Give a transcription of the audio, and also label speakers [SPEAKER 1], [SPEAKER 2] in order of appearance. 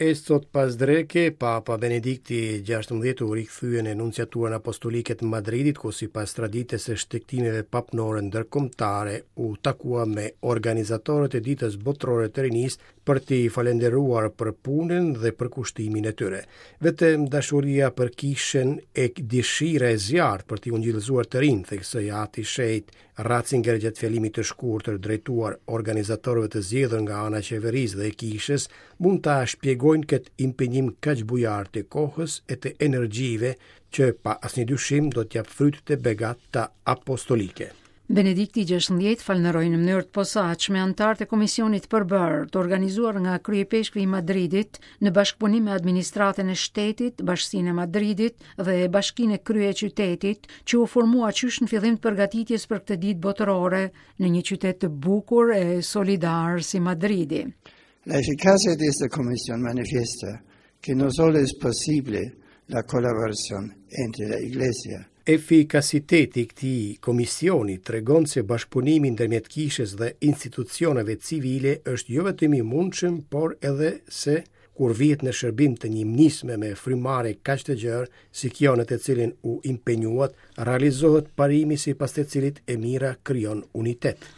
[SPEAKER 1] E sot pasdreke, Papa Benedikti XVI u rikthye në Nunciaturën Apostolike të Madridit, ku sipas traditës së shtegtimeve papnore ndërkombëtare u takua me organizatorët e Ditës Botërore të Rinisë për t'i falënderuar për punën dhe përkushtimin e tyre. Vetëm dashuria për kishën e dëshira e zjarrtë për t'i ungjillëzuar të rinjtë, theksoi Ati i Shenjtë Ratzinger gjatë fjalimit të shkurtër drejtuar organizatorëve të zgjedhur nga ana e qeverisë dhe e kishës, mund ta shpjegojnë këtë impenjim kaq bujar të kohës e të energjive që pa asnjë dyshim do të japë fryte të begata apostolike.
[SPEAKER 2] Benedikti XVI falënderoi në mënyrë të posaçme anëtarët e komisionit të përbërë, të organizuar nga kryeipeshkvi i Madridit në bashkëpunim me administratën e shtetit, Bashkësinë e Madridit dhe Bashkinë e kryeqytetit, që u formua qysh në fillim të përgatitjes për këtë ditë botërore në një qytet të bukur e solidar si Madridi.
[SPEAKER 3] La eficacia de esta comisión manifiesta que no solo es posible la colaboración entre la Iglesia
[SPEAKER 1] Efikasiteti i këtij komisioni tregon se bashkëpunimi ndërmjet kishës dhe institucioneve civile është jo vetëm i mundshëm, por edhe se kur vihet në shërbim të një nisme me frymëmarrje kaq të gjerë si kjo në të cilën u impenjuat, realizohet parimi sipas të cilit e mira krijon unitet.